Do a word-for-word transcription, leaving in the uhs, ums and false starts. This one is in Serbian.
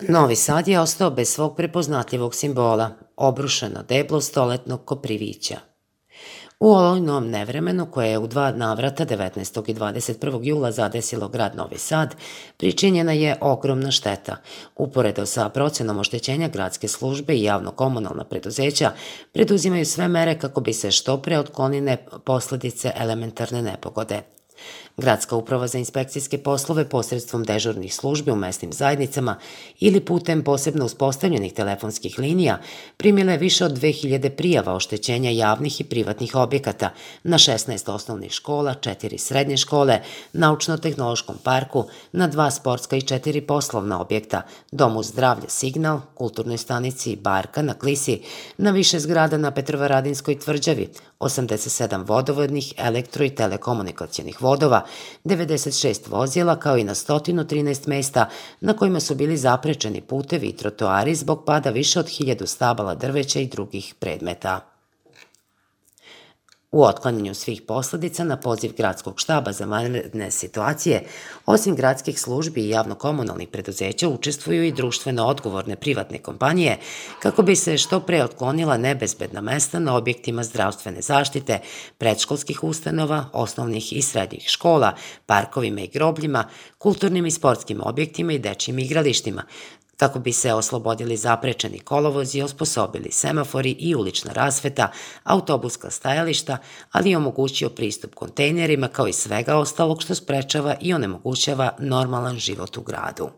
Novi Sad je ostao bez svog prepoznatljivog simbola, obrušeno deblo stoletnog Koprivića. U olujnom nevremenu koje je u dva navrata devetnaestog i dvadeset prvog jula zadesilo grad Novi Sad, pričinjena je ogromna šteta. Uporedo sa procenom oštećenja, gradske službe i javno-komunalna preduzeća preduzimaju sve mere kako bi se što pre otklonile posledice elementarne nepogode. Gradska uprava za inspekcijske poslove posredstvom dežurnih službi u mesnim zajednicama ili putem posebno uspostavljenih telefonskih linija primila je više od dve hiljade prijava oštećenja javnih i privatnih objekata na šesnaest osnovnih škola, četiri srednje škole, naučno-tehnološkom parku, na dva sportska i četiri poslovna objekta, Domu zdravlja Signal, kulturnoj stanici Barka na Klisi, na više zgrada na Petrovaradinskoj tvrđavi, osamdeset sedam vodovodnih, elektro i telekomunikacionih vodova, devedeset šest vozila, kao i na sto trinaest mesta na kojima su bili zaprečeni putevi i trotoari zbog pada više od hiljadu stabala drveća i drugih predmeta. U otklanjanju svih posledica na poziv Gradskog štaba za vanredne situacije, osim gradskih službi i javno-komunalnih preduzeća, učestvuju i društveno odgovorne privatne kompanije kako bi se što pre otklonila nebezbedna mesta na objektima zdravstvene zaštite, predškolskih ustanova, osnovnih i srednjih škola, parkovima i grobljima, kulturnim i sportskim objektima i dečjim igralištima, kako bi se oslobodili zaprečeni kolovozi, osposobili semafori i ulična rasveta, autobuska stajališta, ali i omogućio pristup kontejnerima kao i svega ostalog što sprečava i onemogućava normalan život u gradu.